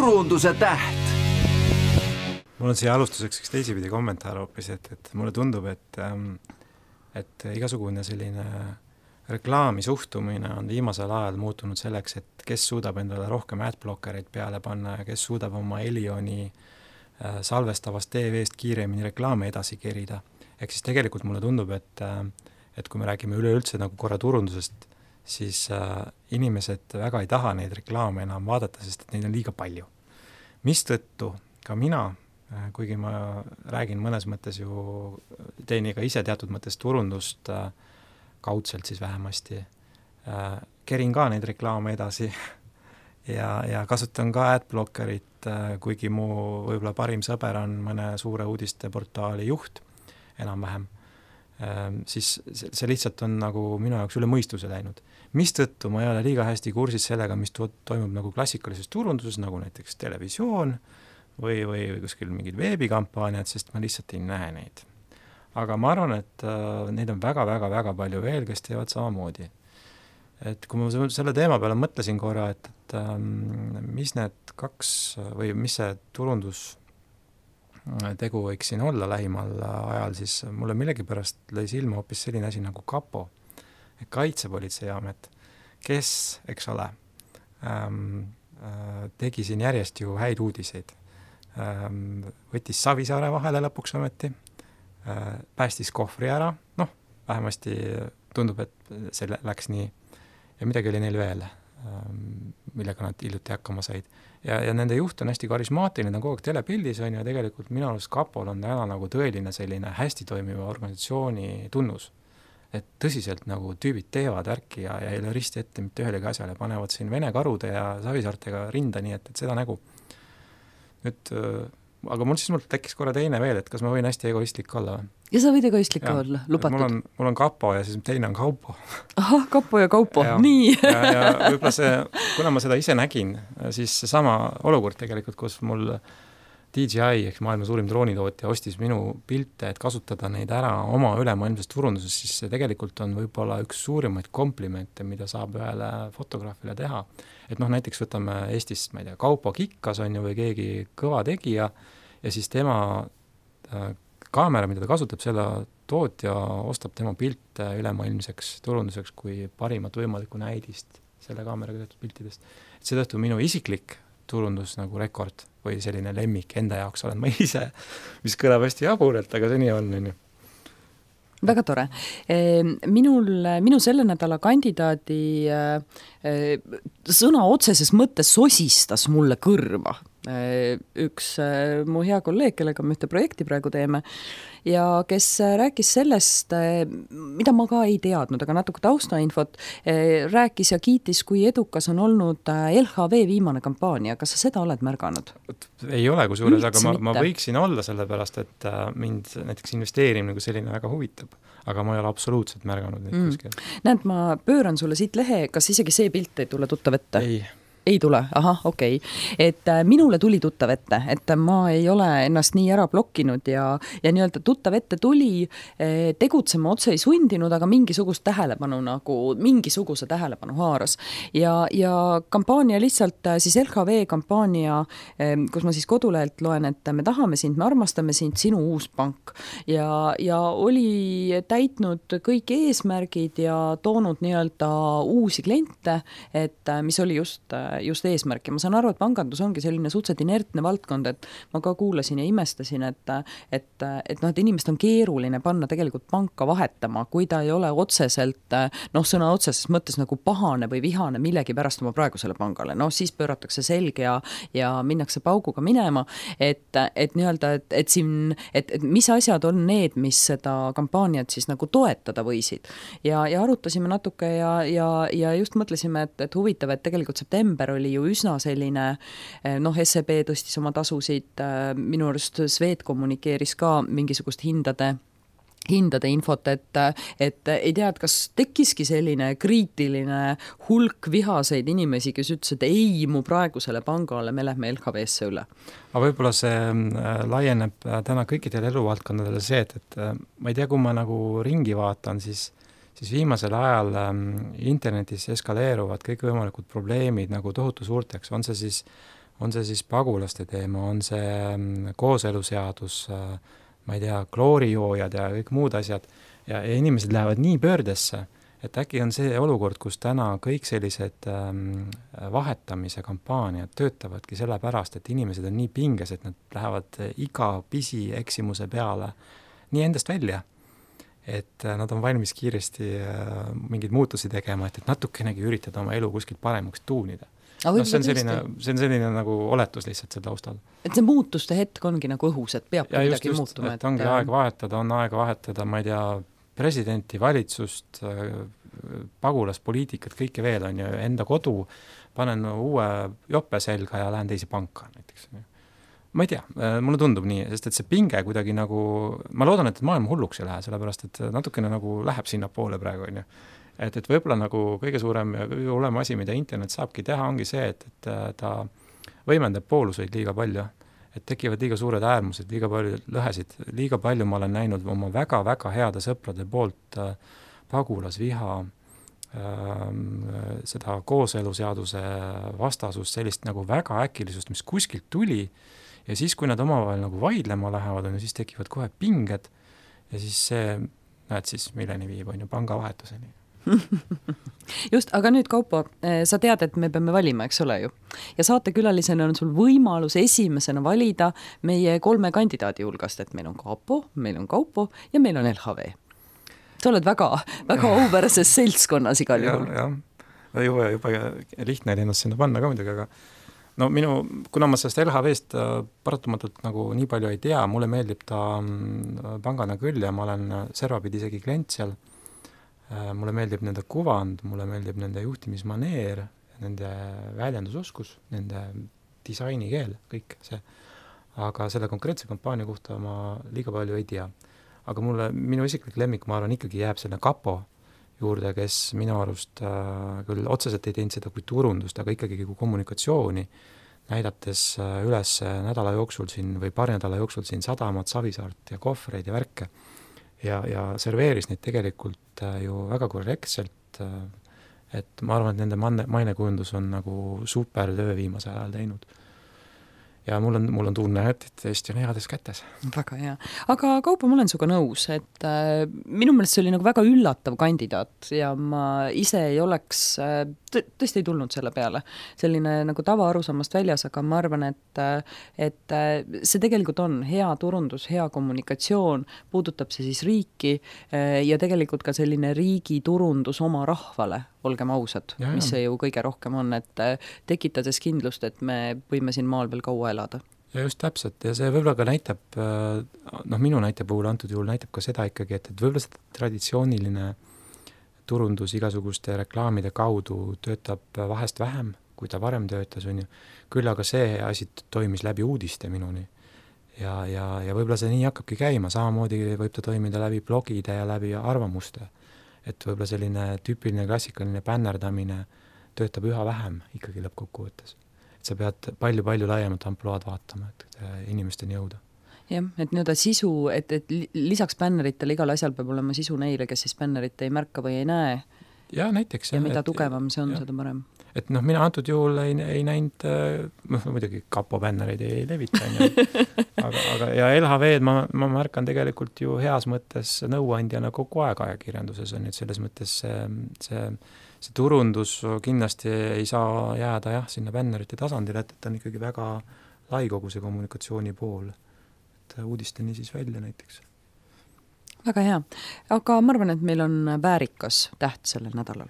turunduse täht. Mul on siia alustuseks üks teisipidi kommentaar hoopis, et mulle tundub, et igasugune selline reklaami suhtumine on viimasel ajal muutunud selleks, et kes suudab endale rohkem adblockereid peale panna ja kes suudab oma Elioni salvestavast TV-st kiiremini reklaame edasi kerida. Ehk siis tegelikult mulle tundub, et kui me räägime üleüldse nagu korra turundusest, siis inimesed väga ei taha neid reklaame enam vaadata, sest et neid on liiga palju. Mistõttu ka mina, kuigi ma räägin mõnes mõttes ju, teen ka ise teatud mõttes turundust kaudselt siis vähemasti, kerin ka neid reklaame edasi ja kasutan ka adblockerit, kuigi mu võib-olla parim sõber on mõne suure uudisteportaali juht enam-vähem, siis see lihtsalt on nagu minu jaoks üle mõistuse läinud. Mistõttu ma ei ole liiga hästi kursis sellega, mis toimub nagu klassikalises turunduses, nagu näiteks televisioon või kuskil mingid veebikampaaniad, sest ma lihtsalt ei näe neid. Aga ma arvan, et neid on väga palju veel, kes teevad samamoodi. Et kui ma selle teema peale mõtlesin korra, et mis need kaks või mis see turundus tegu võiks siin olla lähimal ajal, siis mulle millegipärast lõi silma hoopis selline asi nagu KaPo, Kaitsepolitseiamet, kes, eks ole, tegi siin järjest ju häid uudiseid. Võttis Savisaare vahele lõpuks ometi, päästis kohvri ära, vähemasti tundub, et see läks nii, ja midagi oli neil veel, millega nad hiljuti hakkama said. Ja nende juht on hästi karismaatiline, ta on kogu aeg telepildis on ja tegelikult minu arust KaPol on täna nagu tõeline selline hästi toimiva organisatsiooni tunnus. Et tõsiselt nagu tüübid teevad värki ja ei ole risti ette mitte ühelegi asjale, panevad siin Vene karude ja Savisaartega rinda, nii et seda nägu. Nüüd, aga mul tekkis korra teine veel, et kas ma võin hästi egoistlik olla? Ja sa võid egoistlik olla, lubatud. Mul on KaPo ja siis teine on Kaupo. Ahah, KaPo ja Kaupo, nii. ja võib-olla kuna ma seda ise nägin, siis sama olukord tegelikult, kus mul DJI ehk maailma suurim droonitootja ostis minu pilte, et kasutada neid ära oma ülemaailmses turunduses, siis see tegelikult on võib-olla üks suurimaid komplimente, mida saab ühele fotograafile teha. Et näiteks võtame Eestist, ma ei tea, Kaupo Kikkas on ju või keegi kõva tegija ja siis tema kaamera, mida ta kasutab, selle tootja ostab tema pilte ülemaailmseks turunduseks kui parimat võimalikku näidist selle kaameraga tehtud piltidest. Et seetõttu minu isiklik turundus nagu rekord või selline lemmik enda jaoks olen ma ise, mis kõlab hästi jaburelt, aga see nii on. Väga tore. Minu selle nädala kandidaadi sõna otseses mõttes sosistas mulle kõrva. Üks mu hea kolleeg, kellega me ühte projekti praegu teeme ja kes rääkis sellest, mida ma ka ei teadnud, aga natuke taustainfot, rääkis ja kiitis, kui edukas on olnud LHV viimane kampaania. Kas sa seda oled märganud? Ei ole kusjuures, aga ma võiksin olla sellepärast, et mind näiteks investeerimine nagu selline väga huvitab, aga ma ei ole absoluutselt märganud neid kuskil. Näed, ma pööran sulle siit lehe, kas isegi see pilt ei tule tuttav ette? Ei tule, okei. Et minule tuli tuttav ette, et ma ei ole ennast nii ära blokkinud ja nii-öelda tuttav ette tuli, tegutsema otse ei sundinud, aga mingisuguse tähelepanu haaras. Ja kampaania lihtsalt, siis LHV kampaania, kus ma siis kodulehelt loen, et me tahame sind, me armastame sind, sinu uus pank. Ja oli täitnud kõik eesmärgid ja toonud nii-öelda uusi kliente, et mis oli just eesmärk. Ja ma saan aru, et pangandus ongi selline suhteliselt inertne valdkond, et ma ka kuulasin ja imestasin, et inimest on keeruline panna tegelikult panka vahetama, kui ta ei ole otseselt, sõna otseses mõttes nagu pahane või vihane millegi pärast oma praegusele pangale. Siis pööratakse selge ja minnakse pauguga minema, et nii-öelda, et mis asjad on need, mis seda kampaaniat siis nagu toetada võisid. Ja arutasime natuke ja just mõtlesime, et huvitav, et tegelikult september oli ju üsna selline, SEB tõstis oma tasusid, minu arust Svet kommunikeeris ka mingisugust hindade infot, et ei tea, et kas tekkiski selline kriitiline hulk vihaseid inimesi, kes ütles, et ei, mu praegusele pangale me lähme LHV-sse üle. Aga võib-olla see laieneb täna kõikidele eluvaldkondadele see, et ma ei tea, kui ma nagu ringi vaatan, siis viimasel ajal internetis eskaleeruvad kõik võimalikud probleemid nagu tohutu suurteks. On on see siis pagulaste teema, on see kooseluseadus, ma ei tea, kloorijoojad ja kõik muud asjad, ja inimesed lähevad nii pöördesse, et äkki on see olukord, kus täna kõik sellised vahetamise kampaaniad töötavadki sellepärast, et inimesed on nii pinges, et nad lähevad iga pisi eksimuse peale nii endast välja, et nad on valmis kiiresti mingeid muutusi tegema, et natukenegi üritada oma elu kuskilt paremaks tuunida. See on selline nagu oletus lihtsalt selle taustal. Et see muutuste hetk ongi nagu õhus, et peab midagi muutuma. Et ongi aeg vahetada, on aega vahetada, ma ei tea, presidenti, valitsust, pagulaspoliitikat, kõike veel on ju, enda kodu, panen uue jope selga ja lähen teise panka näiteks. Ma ei tea, mulle tundub nii, sest et see pinge kuidagi nagu, ma loodan, et maailm hulluks ei lähe, sellepärast et natukene nagu läheb sinna poole praegu, on ju. Et võib-olla nagu kõige suurem ja kõige hullem asi, mida internet saabki teha, ongi see, et ta võimendab pooluseid liiga palju, et tekivad liiga suured äärmused, liiga palju lõhesid, liiga palju ma olen näinud oma väga-väga heade sõprade poolt pagulasviha, seda kooseluseaduse vastasust, sellist nagu väga äkilisust, mis kuskilt tuli, ja siis, kui nad omavahel nagu vaidlema lähevad, siis tekivad kohe pinged ja siis see, näed siis, milleni viib, on ju, pangavahetuseni. Just, aga nüüd Kaupo, sa tead, et me peame valima, eks ole ju. Ja saatekülalisena on sul võimalus esimesena valida meie 3 kandidaadi hulgast, et meil on Kaapo, meil on Kaupo ja meil on LHV. Sa oled väga auväärses seltskonnas igal juhul. Juba lihtne ennast sinna panna ka midagi, aga no kuna ma sellest LHV-st paratamatult nagu nii palju ei tea, mulle meeldib ta pangana küll ja ma olen servapidi isegi klient seal. Mulle meeldib nende kuvand, mulle meeldib nende juhtimismaneer, nende väljendusoskus, nende disainikeel, kõik see. Aga selle konkreetse kampaania kohta ma liiga palju ei tea. Aga minu isiklik lemmik, ma arvan, ikkagi jääb selle Kapo juurde, kes minu arust küll otseselt ei teinud seda kui turundust, aga ikkagi kui kommunikatsiooni, näidates üles nädala jooksul siin või paari nädala jooksul siin Sadamat, Savisaart ja kohvreid ja värke. Ja serveeris neid tegelikult ju väga korrektselt, et ma arvan, et nende mainekujundus on nagu super töö viimase ajal teinud. Ja mul on tunne, et Eesti on heades kätes. Väga hea. Aga Kaupo, ma olen suga nõus, et minu meelest see oli nagu väga üllatav kandidaat ja ma ise ei oleks, tõesti ei tulnud selle peale. Selline nagu tava arusaamast väljas, aga ma arvan, et see tegelikult on hea turundus, hea kommunikatsioon, puudutab see siis riiki ja tegelikult ka selline riigi turundus oma rahvale, olgem ausad, mis see ju kõige rohkem on, et tekitades kindlust, et me võime siin maal veel kaua elada. Ja just täpselt, ja see võib-olla ka näitab, minu näite puhul antud juhul näitab ka seda ikkagi, et võib-olla seda traditsiooniline turundus igasuguste reklaamide kaudu töötab vahest vähem, kui ta varem töötas, on ju. Küll aga see asi toimis läbi uudiste minuni. Ja võib-olla see nii hakkabki käima, samamoodi võib ta toimida läbi blogide ja läbi arvamuste. Et võib-olla selline tüüpiline klassikaline bännerdamine töötab üha vähem ikkagi lõppkokkuvõttes. Et sa pead palju laiemat ampluaad vaatama, et inimesteni jõuda. Jah, et nii-öelda sisu, et lisaks bänneritele igal asjal peab olema sisu neile, kes siis bännerit ei märka või ei näe. Ja näiteks. Ja mida tugevam see on, seda parem. Et mina antud juhul ei näinud, muidugi Kapo bännereid ei levita, aga ja LHV-d ma märkan tegelikult ju heas mõttes nõuandjana kogu aeg ajakirjanduses on, et selles mõttes see turundus kindlasti ei saa jääda sinna bännerite tasandile, et on ikkagi väga lai kogu see kommunikatsiooni pool, et uudisteni siis välja näiteks. Väga hea, aga ma arvan, et meil on väärikas täht sellel nädalal.